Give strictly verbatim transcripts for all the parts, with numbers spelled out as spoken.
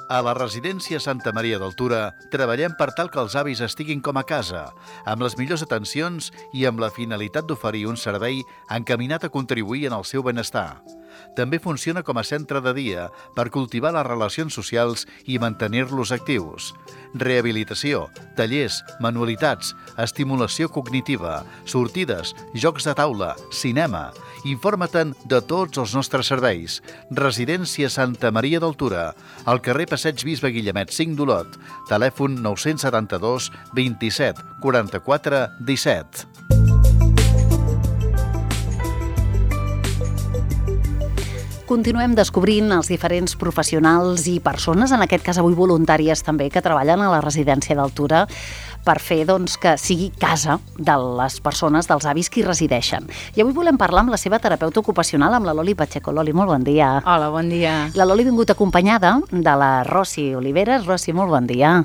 A la residència Santa Maria d'Altura treballem per tal que els avis estiguin com a casa, amb les millors atencions i amb la finalitat d'oferir un servei encaminat a contribuir en el seu benestar. També funciona com a centre de dia per cultivar les relacions socials i mantenir-los actius. Rehabilitació, tallers, manualitats, estimulació cognitiva, sortides, jocs de taula, cinema. Informa-te'n de tots els nostres serveis. Residència Santa Maria d'Altura, al carrer Passeig Bisbe Guillemet cinc d'Olot, telèfon nou set dos, vint-i-set, quaranta-quatre, disset. Continuem descobrint els diferents professionals i persones, en aquest cas avui voluntàries també, que treballen a la residència d'Altura per fer doncs, que sigui casa de les persones, dels avis que hi resideixen. I avui volem parlar amb la seva terapeuta ocupacional, amb la Loli Pacheco. Loli, molt bon dia. Hola, bon dia. La Loli ha vingut acompanyada de la Rosi Oliveres. Rosi, molt bon dia.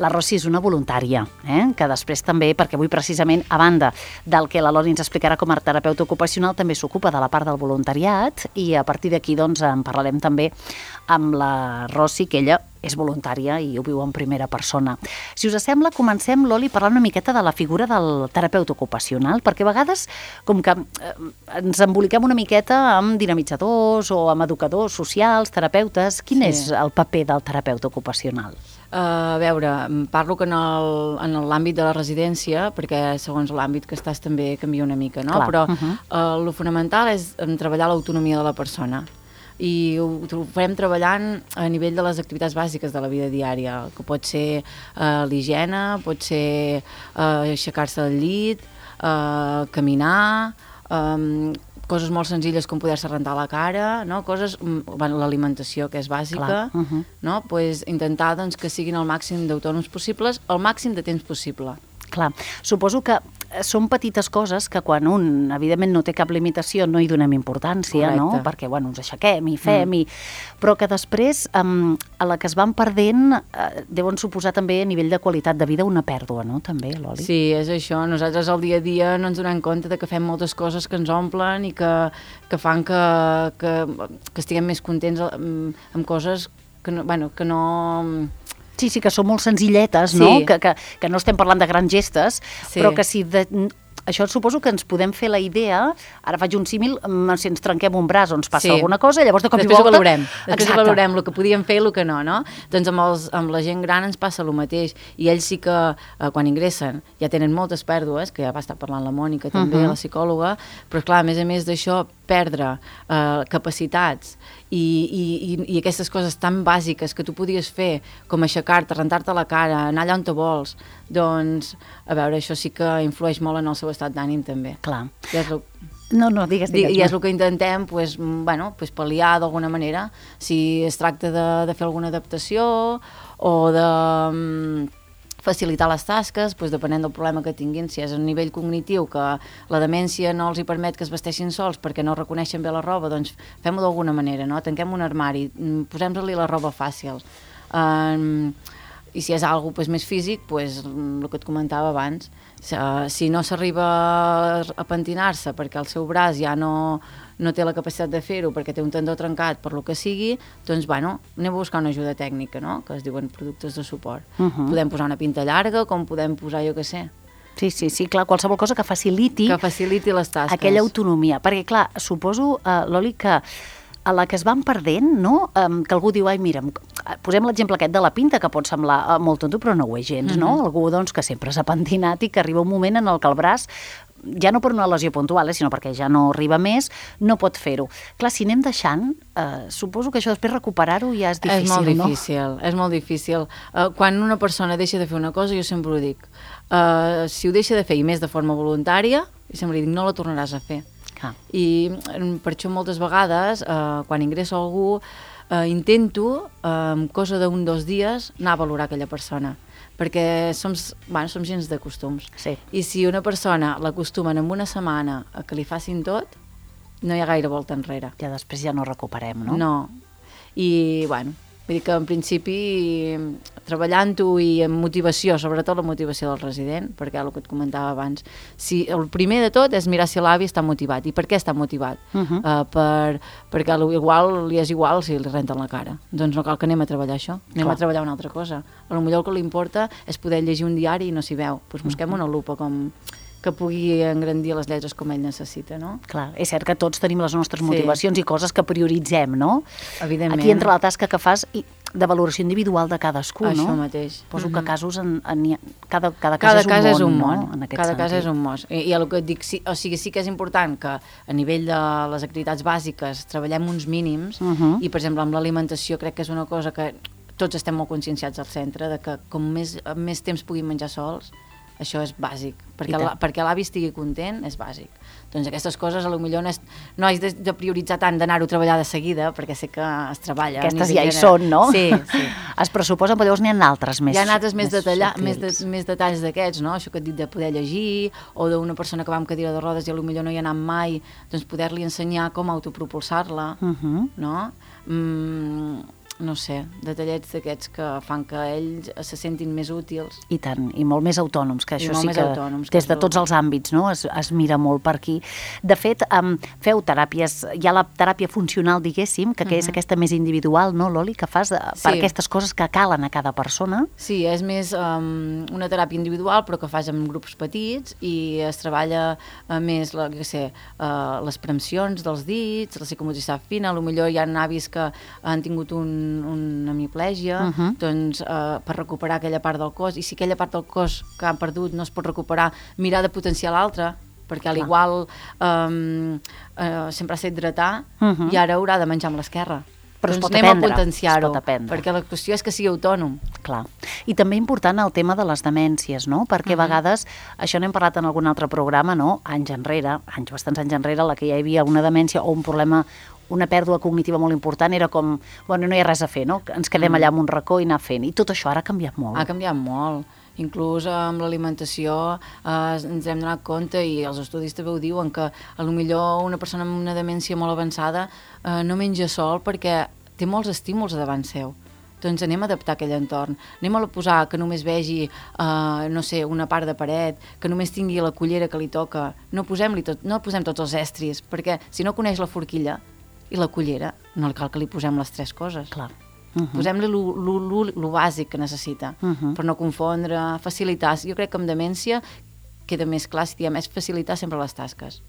La Rosi és una voluntària, eh? que després també, perquè avui precisament, a banda del que la Loli ens explicarà com a terapeuta ocupacional, també s'ocupa de la part del voluntariat i a partir d'aquí doncs, en parlarem també amb la Rosi, que ella és voluntària i ho viu en primera persona. Si us sembla, comencem, Loli, parlant una miqueta de la figura del terapeuta ocupacional, perquè a vegades com que eh, ens emboliquem una miqueta amb dinamitzadors o amb educadors socials, terapeutes. Quin sí. és el paper del terapeuta ocupacional? Uh, a veure, parlo que en el- en l'àmbit de la residència, perquè segons l'àmbit que estàs també canvia una mica, no? Clar. Però Uh-huh. uh, el fonamental és em, treballar l'autonomia de la persona. I ho, ho farem treballant a nivell de les activitats bàsiques de la vida diària, que pot ser uh, l'higiene, pot ser uh, aixecar-se del llit, uh, caminar, um, coses molt senzilles com poder-se rentar la cara, no? Coses, mm, bueno, l'alimentació, que és bàsica, Clar, uh-huh. no? Pues intentar doncs, que siguin el màxim d'autònoms possibles, el màxim de temps possible. Clar, suposo que són petites coses que quan un, evidentment, no té cap limitació, no hi donem importància, no? Correcte. Perquè, bueno, ens aixequem i fem, i... però que després, um, a la que es van perdent, uh, deuen suposar també a nivell de qualitat de vida una pèrdua, no? També, Loli? Sí, és això. Nosaltres al dia a dia no ens donem compte de que fem moltes coses que ens omplen i que, que fan que, que, que estiguem més contents amb, amb coses que no... Bueno, que no Sí, sí, que són molt senzilletes, Sí. no? Que, que, que no estem parlant de grans gestes, Sí. però que si... De, això suposo que ens podem fer la idea, ara faig un símil, mm, si ens trenquem un braç o ens passa Sí. alguna cosa, llavors de cop Després i volta... ho valorem, després Exacte. ho valorem el que podíem fer i el que no, no? Doncs amb, els, amb la gent gran ens passa el mateix, i ells sí que eh, quan ingressen ja tenen moltes pèrdues, que ja va estar parlant la Mònica també, Uh-huh. la psicòloga, però clar, a més a més d'això, perdre eh, capacitats i, i, i, i aquestes coses tan bàsiques que tu podies fer, com aixecar-te, rentar-te la cara, anar allà on te vols, doncs, a veure, això sí que influeix molt en el seu estat d'ànim també. Clar. I és el, No, no, digues, digues. I és el que intentem pues, bueno, pues, pal·liar d'alguna manera, si es tracta de, de fer alguna adaptació o de mm, facilitar les tasques, pues, depenent del problema que tinguin, si és a nivell cognitiu, que la demència no els hi permet que es vesteixin sols perquè no reconeixen bé la roba, doncs fem-ho d'alguna manera, no? Tanquem un armari, mm, posem-li la roba fàcil. Um, I si és algo pues, més físic, pues, el que et comentava abans, si no s'arriba a pentinar-se perquè el seu braç ja no, no té la capacitat de fer-ho, perquè té un tendó trencat, per lo que sigui, doncs, bueno, anem a buscar una ajuda tècnica, no?, que es diuen productes de suport. Uh-huh. Podem posar una pinta llarga, com podem posar, jo què sé, Sí, sí, sí, clar, qualsevol cosa que faciliti, que faciliti les tasques. aquella autonomia. Perquè, clar, suposo, uh, Loli, que a la que es van perdent, no? Um, que algú diu, ai, mira, posem l'exemple aquest de la pinta, que pot semblar uh, molt tonto, però no ho és gens, no? Mhm. Algú, doncs, que sempre s'ha pentinat i que arriba un moment en el que el braç, ja no per una lesió puntual, eh, sinó perquè ja no arriba més, no pot fer-ho. Clar, si anem deixant, uh, suposo que això després recuperar-ho ja és difícil, és molt no? difícil, és molt difícil. Uh, quan una persona deixa de fer una cosa, jo sempre ho dic, uh, si ho deixa de fer, i més de forma voluntària, jo sempre dic, no la tornaràs a fer. Ah. I mm, per això moltes vegades, eh, quan ingresso algú, eh, intento, eh, en cosa d'un o dos dies, anar a valorar aquella persona, perquè som, bueno, som gens de costums. Sí. I si una persona l'acostumen en una setmana a que li facin tot, no hi ha gaire volta enrere. Ja després ja no recuperem, no? No. I, bueno, Vull dir que en principi treballant-ho i amb motivació, sobretot la motivació del resident, perquè el que et comentava abans, si el primer de tot és mirar si l'avi està motivat. I per què està motivat? Uh -huh. uh, per, perquè igual li és igual si li renten la cara. Doncs no cal que anem a treballar això, anem Clar. a treballar una altra cosa. A lo millor el que li importa és poder llegir un diari i no s'hi veu. Doncs busquem uh -huh. una lupa com... que pugui engrandir les lletres com ell necessita, no? Clar, és cert que tots tenim les nostres motivacions sí. i coses que prioritzem, no? Evidentment. Aquí entra la tasca que fas i de valoració individual de cadascú, Això no? Això mateix. Poso mm-hmm. que casos, en, en, cada, cada, cada cas, és un un món, món, no? En aquest cada sentit. cas és un món. I, i el que et dic, sí, o sigui, sí que és important que a nivell de les activitats bàsiques treballem uns mínims mm-hmm. i, per exemple, amb l'alimentació crec que és una cosa que tots estem molt conscienciats al centre, de que com més, més temps puguin menjar sols, això és bàsic, perquè, la, perquè l'avi estigui content és bàsic. Doncs aquestes coses a lo millor no, és, no has de, de prioritzar tant d'anar-ho a treballar de seguida, perquè sé que es treballa. Aquestes ja hi són, no? Sí, sí. Es pressuposen, però llavors n'hi ha altres més. Hi ha altres més, més, detalla, més, de, més detalls d'aquests, no? Això que et dic de poder llegir, o d'una persona que va amb cadira de rodes i a lo millor no hi ha anat mai, doncs poder-li ensenyar com autopropulsar-la, uh-huh. no? Mm, no sé, detallets d'aquests que fan que ells se sentin més útils. I tant, i molt més autònoms, que això sí que autònoms, des de tots els àmbits, no? es, es mira molt per aquí. De fet, um, feu teràpies, hi ha la teràpia funcional, diguéssim, que, que uh-huh. és aquesta més individual, no, Loli, que fas de, sí. per aquestes coses que calen a cada persona? Sí, és més um, una teràpia individual, però que fas en grups petits i es treballa uh, més, la, què sé, uh, les premsions dels dits, la psicomotricitat fina, potser hi ha avis que han tingut un una hemiplegia, uh-huh. doncs eh, per recuperar aquella part del cos, i si aquella part del cos que han perdut no es pot recuperar, mirar de potenciar l'altra, perquè a l'igual eh, eh, sempre s'ha hidratar uh-huh. i ara haurà de menjar amb l'esquerra. Però doncs es pot anem aprendre, a potenciar-ho, aprendre. perquè la qüestió és que sigui autònom. Clar. I també important el tema de les demències, no? Perquè uh-huh. a vegades, això n'hem parlat en algun altre programa, no? Anys enrere, anys bastants anys enrere, la que ja hi havia una demència o un problema, una pèrdua cognitiva molt important, era com, bueno, no hi ha res a fer, no? Ens quedem mm. allà en un racó i anar fent. I tot això ara ha canviat molt. Ha canviat molt. Inclús amb l'alimentació eh, ens hem donat compte, i els estudis també ho diuen, que a lo millor una persona amb una demència molt avançada eh, no menja sol perquè té molts estímuls davant seu. Doncs anem a adaptar aquell entorn. Anem a posar que només vegi, eh, no sé, una part de paret, que només tingui la cullera que li toca. No posem-li tot, no posem tots els estris, perquè si no coneix la forquilla i la cullera, no cal que li posem les tres coses. Clar. Uh-huh. Posem-li lo bàsic que necessita, uh-huh. per no confondre, facilitar. Jo crec que amb demència queda més clar, si diem, és facilitar sempre les tasques.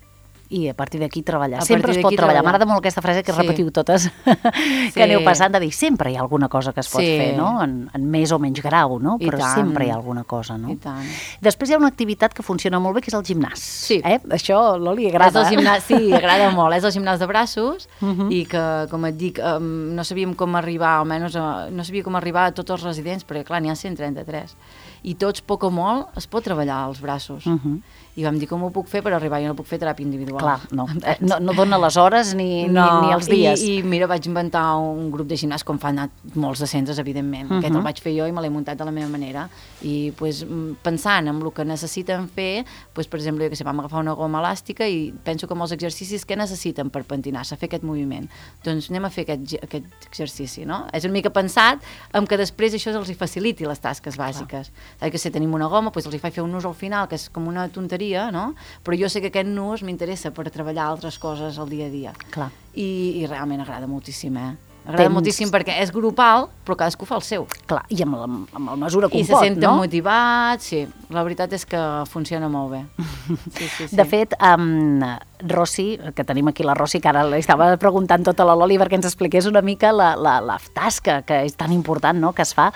I a partir d'aquí treballar. A sempre es pot treballar. M'agrada molt aquesta frase que sí. repetiu totes, que sí. aneu passant de dir, sempre hi ha alguna cosa que es pot sí. fer, no? En, en més o menys grau, no? I Però tant. sempre hi ha alguna cosa, no? I tant. Després hi ha una activitat que funciona molt bé, que és el gimnàs. Sí. Eh? Això, Loli, agrada. És el gimnàs, sí, agrada molt. És el gimnàs de braços uh-huh. i que, com et dic, um, no sabíem com arribar, almenys uh, no sabia com arribar a tots els residents, perquè clar, n'hi ha cent trenta-tres. I tots, poc o molt, es pot treballar als braços. Uh-huh. I vam dir, com ho puc fer per arribar? Jo no puc fer teràpia individual. Clar, no. No, no dona les hores ni, no, ni, ni els dies. I, I mira, vaig inventar un grup de gimnàs, com fan molts de centres, evidentment. Uh-huh. Aquest el vaig fer jo i me l'he muntat de la meva manera. I pues, pensant en el que necessiten fer, pues, per exemple, jo que sé, vam agafar una goma elàstica i penso que molts exercicis que necessiten per pentinar-se, fer aquest moviment. Doncs anem a fer aquest, aquest exercici, no? És una mica pensat en que després això els hi faciliti les tasques bàsiques. Saps que si tenim una goma, doncs els hi faig fer un nus al final, que és com una tonteria, no? Però jo sé que aquest nus m'interessa per treballar altres coses al dia a dia. Clar. I, i realment agrada moltíssim, eh? Agrada Tens... moltíssim perquè és grupal, però cadascú fa el seu. Clar, i amb la, amb la mesura que I ho pot, no? I se senten motivats, sí. La veritat és que funciona molt bé. Sí, sí, sí. De fet, um, Rossi, que tenim aquí la Rossi, que ara li estava preguntant tota la Loli perquè ens expliqués una mica la, la, la tasca que és tan important, no?, que es fa.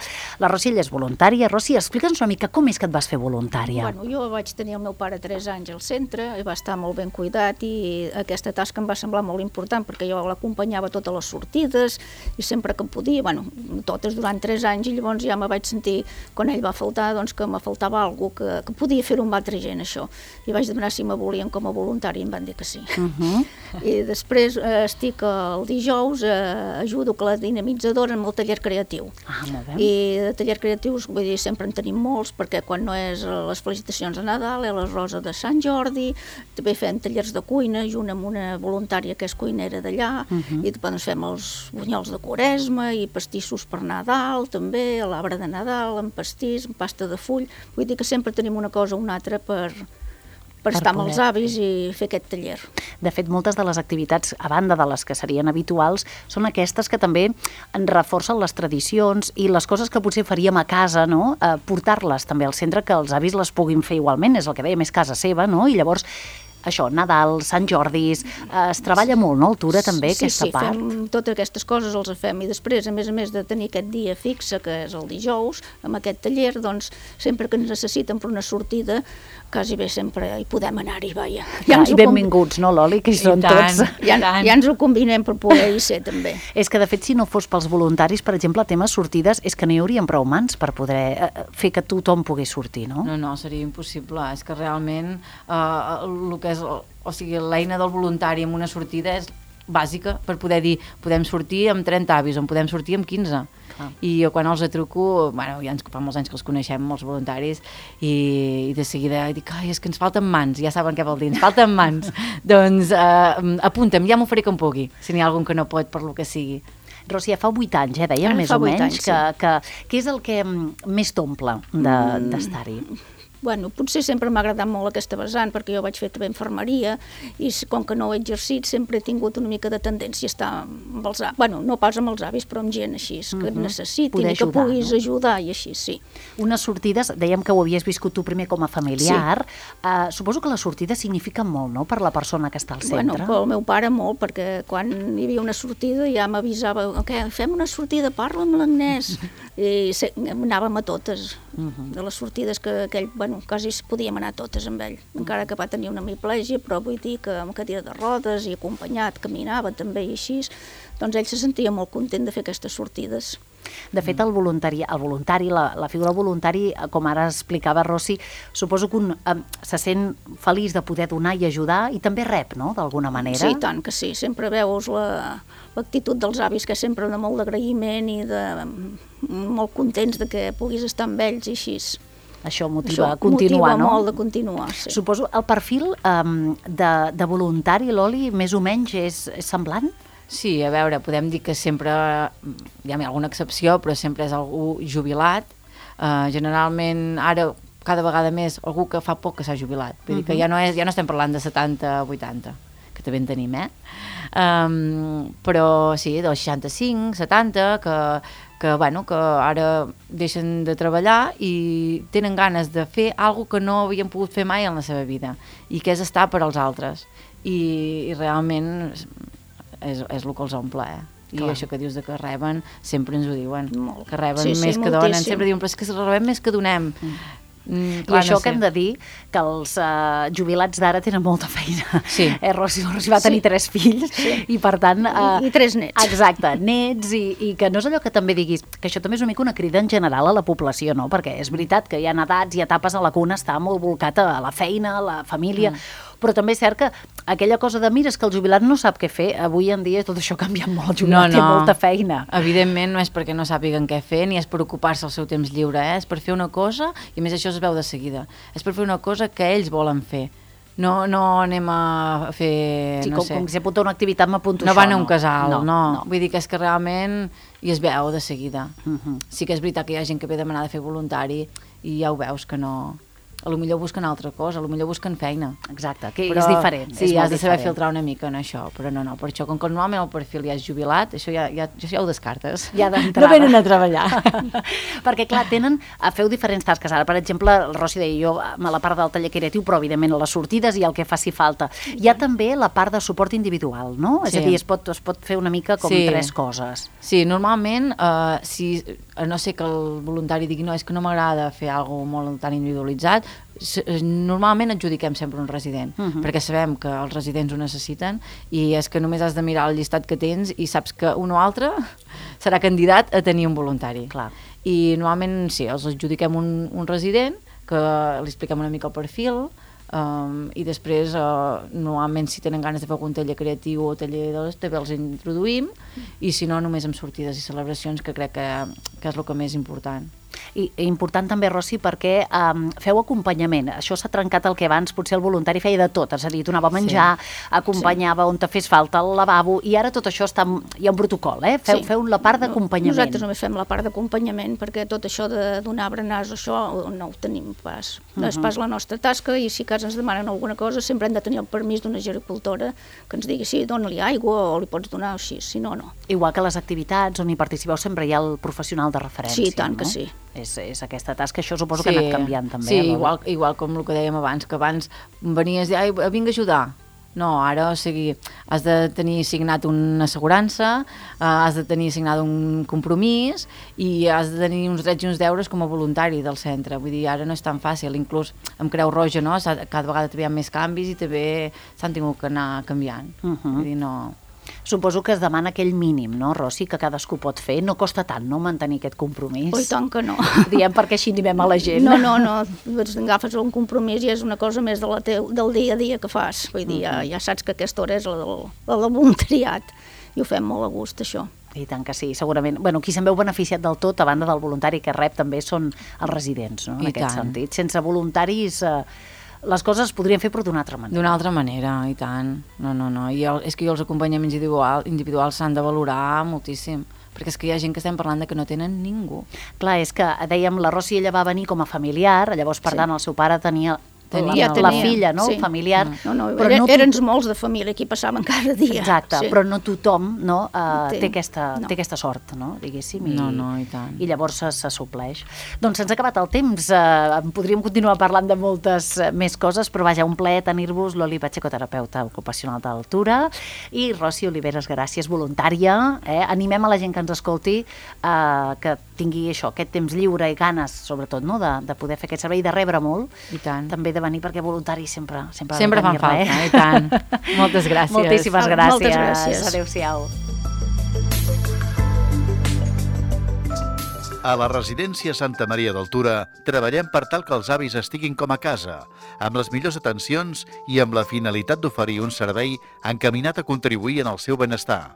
La Rossi, ella és voluntària. Rossi, explica'ns una mica com és que et vas fer voluntària. Bueno, jo vaig tenir el meu pare tres anys al centre, i va estar molt ben cuidat, i aquesta tasca em va semblar molt important perquè jo l'acompanyava a totes les sortides i sempre que podia, bueno, totes durant tres anys, i llavors ja me vaig sentir, quan ell va faltar, doncs que me faltava alguna cosa, que, que podia fer-ho amb altra gent, això. I vaig demanar si me volien com a voluntari i em van dir dir que sí. Uh -huh. I després eh, estic el dijous, eh, ajudo a la dinamitzadora amb el taller creatiu. Ah, molt bé. I de taller creatius, vull dir, sempre en tenim molts, perquè quan no és les felicitacions de Nadal, és la Rosa de Sant Jordi, també fem tallers de cuina, junt amb una voluntària que és cuinera d'allà, uh -huh. i doncs fem els bunyols de Quaresma i pastissos per Nadal, també, a l'arbre de Nadal, amb pastís, amb pasta de full. Vull dir que sempre tenim una cosa o una altra per, per, per estar poder. Amb els avis i fer aquest taller. De fet, moltes de les activitats, a banda de les que serien habituals, són aquestes que també en reforcen les tradicions i les coses que potser faríem a casa, no? Eh, portar-les també al centre, que els avis les puguin fer igualment, és el que dèiem, és casa seva, no? I llavors això, Nadal, Sant Jordis, eh, es treballa molt, no, Altura, també, sí, aquesta sí, part? Sí, fem totes aquestes coses, els fem, i després, a més a més de tenir aquest dia fixe, que és el dijous, amb aquest taller, doncs, sempre que ens necessiten per una sortida, quasi bé sempre hi podem anar-hi, vaja. Ja, i benvinguts, no, Loli, que hi són tots. Ja, ja ens ho combinem per poder-hi ser, també. És que, de fet, si no fos pels voluntaris, per exemple, temes sortides, és que no hi haurien prou mans per poder eh, fer que tothom pogués sortir, no? No, no, seria impossible. És que realment eh, el que és, o sigui, l'eina del voluntari en una sortida és bàsica per poder dir, podem sortir amb trenta avis o en podem sortir amb quinze. Clar. I jo quan els truco, bueno, ja ens, fa molts anys que els coneixem, els voluntaris, i, i de seguida dic, ai, és que ens falten mans, ja saben què vol dir, ens falten mans. Doncs eh, apunta'm, ja m'ho faré com pugui, si n'hi ha algun que no pot per lo que sigui. Rosi, ja fa vuit anys, eh, dèiem, més o menys, anys, que, sí. que, que és el que més t'omple d'estar-hi? De, Bueno, potser sempre m'ha agradat molt aquesta vessant, perquè jo vaig fer també infermeria, i com que no ho he exercit, sempre he tingut una mica de tendència a estar amb els avis, bueno, no pas amb els avis, però amb gent així, que uh-huh. necessitin i que puguis no? ajudar, i així, sí. Unes sortides, dèiem que ho havies viscut tu primer com a familiar, sí. uh, suposo que les sortides signifiquen molt, no?, per la persona que està al centre. Bueno, pel meu pare molt, perquè quan hi havia una sortida ja m'avisava, okay, fem una sortida, parla amb l'Agnès, i anàvem a totes, uh-huh. de les sortides que aquell, bueno, quasi podíem anar totes amb ell, encara que va tenir una hemiplegia, però vull dir que amb cadira de rodes i acompanyat, caminava també i així, doncs ell se sentia molt content de fer aquestes sortides. De fet, el voluntari, el voluntari la, la figura voluntari, com ara explicava Rosi, suposo que un eh, se sent feliç de poder donar i ajudar i també rep, no?, d'alguna manera. Sí, tant que sí, sempre veus la, l'actitud dels avis, que és sempre de molt d'agraïment i de molt contents de que puguis estar amb ells i així. Això motiva Això a continuar, motiva no? Motiva molt de continuar, sí. Suposo el perfil um, de, de voluntari, Loli, més o menys és, és semblant? Sí, a veure, podem dir que sempre, hi ha alguna excepció, però sempre és algú jubilat. Uh, generalment, ara, cada vegada més, algú que fa poc que s'ha jubilat. Vull dir que ja no, és, ja no estem parlant de setanta a vuitanta, que també en tenim, eh? Um, però sí, dels seixanta-cinc, setanta, que... que, bueno, que ara deixen de treballar i tenen ganes de fer alguna que no havien pogut fer mai en la seva vida, i que és estar per als altres. I, i realment és, és el que els omple, eh? I clar. Això que dius de que reben, sempre ens ho diuen, Molt. que reben sí, més sí, que donen, sempre diuen, però és que rebem més que donem. Mm. Mm, I això no sé. Que hem de dir que els uh, jubilats d'ara tenen molta feina. Sí. Eh, Rosi, Rosi va tenir sí. tres fills sí. i per tant... Uh, I, I tres nets. Exacte, nets i, i que no és allò que també diguis, que això també és una mica una crida en general a la població, no? Perquè és veritat que hi ha edats i etapes a la cuna està molt volcat a la feina, a la família, mm. però també és cert que aquella cosa de mira, és que el jubilat no sap què fer, avui en dia tot això ha canviat molt, el jubilat no, no. té molta feina. Evidentment no és perquè no sàpiguen què fer, ni és per ocupar-se el seu temps lliure, eh? És per fer una cosa, i a més això es veu de seguida, és per fer una cosa que ells volen fer. No, no anem a fer, sí, no com, sé... com si apunta una activitat m'apunto no això. Van a un casal, no, no. no. Vull dir que és que realment i es veu de seguida. Uh-huh. Sí que és veritat que hi ha gent que ve a demanar de fer voluntari i ja ho veus que no... A lo millor busquen altra cosa, a lo millor busquen feina. Exacte, que però, és diferent. Sí, és has de saber diferent. filtrar una mica en això, però no, no, per això, com que normalment el perfil ja és jubilat, això ja, ja, ja ho descartes. Ja d'entrada. No venen a treballar. Perquè, clar, tenen, feu diferents tasques. Ara, per exemple, el Rosi deia jo, a la part del taller creatiu, però evidentment a les sortides i el que faci falta. Hi ha també la part de suport individual, no? Sí. És a dir, es pot, es pot fer una mica com sí. tres coses. Sí, normalment, eh, si, a no ser que el voluntari digui no, és que no m'agrada fer alguna cosa molt tan individualitzat, normalment adjudiquem sempre un resident, uh-huh. perquè sabem que els residents ho necessiten i és que només has de mirar el llistat que tens i saps que un o altre serà candidat a tenir un voluntari. Clar. I normalment sí, els adjudiquem un, un resident, que li expliquem una mica el perfil, Um, I després, uh, normalment, si tenen ganes de fer algun taller creatiu o taller d'hores, també els introduïm, i si no, només amb sortides i celebracions, que crec que, que és el que més important. I important també, Rossi, perquè um, feu acompanyament. Això s'ha trencat el que abans potser el voluntari feia de tot, és a dir, donava a menjar, sí. acompanyava sí. on te fes falta el lavabo, i ara tot això està, hi ha un protocol, eh? Feu, sí. feu la part d'acompanyament. Nosaltres només fem la part d'acompanyament, perquè tot això de donar berenars, això no ho tenim pas. No és pas la nostra tasca, i si a casa ens demanen alguna cosa, sempre hem de tenir el permís d'una gericultora que ens digui, sí, dona-li aigua o li pots donar així, si no, no. Igual que les activitats on hi participeu sempre hi ha el professional de referència. Sí, tant no? que sí. És, és aquesta tasca, això suposo sí. que ha anat canviant també. Sí, eh, igual, igual com el que dèiem abans, que abans venies i ai, vinc a ajudar. No, ara, o sigui, has de tenir signat una assegurança, eh, has de tenir signat un compromís i has de tenir uns drets i uns deures com a voluntari del centre. Vull dir, ara no és tan fàcil, inclús amb Creu Roja, no? Cada vegada també hi ha més canvis i també s'han tingut que anar canviant. Uh -huh. Vull dir, no... Suposo que es demana aquell mínim, no, Rossi, que cadascú pot fer. No costa tant, no, mantenir aquest compromís? Oi, tant que no. Diem perquè així animem a la gent. No, no, no. Agafes un compromís i és una cosa més de la teu, del dia a dia que fas. Vull dir, ja, ja saps que aquesta hora és la del, la del voluntariat i ho fem molt a gust, això. I tant que sí, segurament. Bueno, qui se'n veu beneficiat del tot, a banda del voluntari que rep, també són els residents, no?, en I aquest tant. sentit. Sense voluntaris... Eh, les coses es podrien fer però d'una altra manera. D'una altra manera, i tant. No, no, no. I el, és que jo els acompanyaments individual, individuals s'han de valorar moltíssim, perquè és que hi ha gent que estem parlant de que no tenen ningú. Clar, és que dèiem, la Rossi, ella va venir com a familiar, llavors, per Sí. tant, el seu pare tenia... Tenia, la, tenia, la filla, no?, sí. familiar. No, no, però era, no eren tot... molts de família, aquí passaven cada dia. Exacte, sí. però no tothom no, uh, Té. té, aquesta, No. té aquesta sort, no?, diguéssim. I, No, no, i tant. I llavors se, se supleix. Doncs se'ns ha acabat el temps, uh, podríem continuar parlant de moltes uh, més coses, però vaja, un plaer tenir-vos l'Oli Pacheco, terapeuta ocupacional d'altura, i Rossi Oliveres, gràcies, voluntària. Eh? Animem a la gent que ens escolti uh, que tingui això, aquest temps lliure i ganes, sobretot, no?, de, de poder fer aquest servei, de rebre molt, I tant. també de venir, perquè voluntaris sempre, sempre, Sempre fan falta, eh? I tant. Moltes gràcies. Moltíssimes Ah, gràcies. moltes gràcies. Adéu-siau. A la residència Santa Maria d'Altura treballem per tal que els avis estiguin com a casa, amb les millors atencions i amb la finalitat d'oferir un servei encaminat a contribuir en el seu benestar.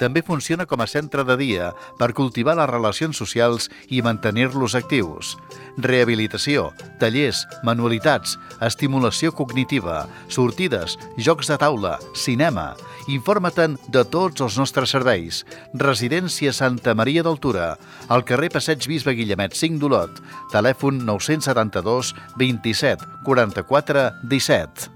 També funciona com a centre de dia per cultivar les relacions socials i mantenir-los actius. Rehabilitació, tallers, manualitats, estimulació cognitiva, sortides, jocs de taula, cinema. Informa-te'n de tots els nostres serveis. Residència Santa Maria d'Altura, al carrer Passeig Bisbe Guillemet cinc d'Olot, telèfon nou setanta dos, vint-i-set, quaranta-quatre, disset.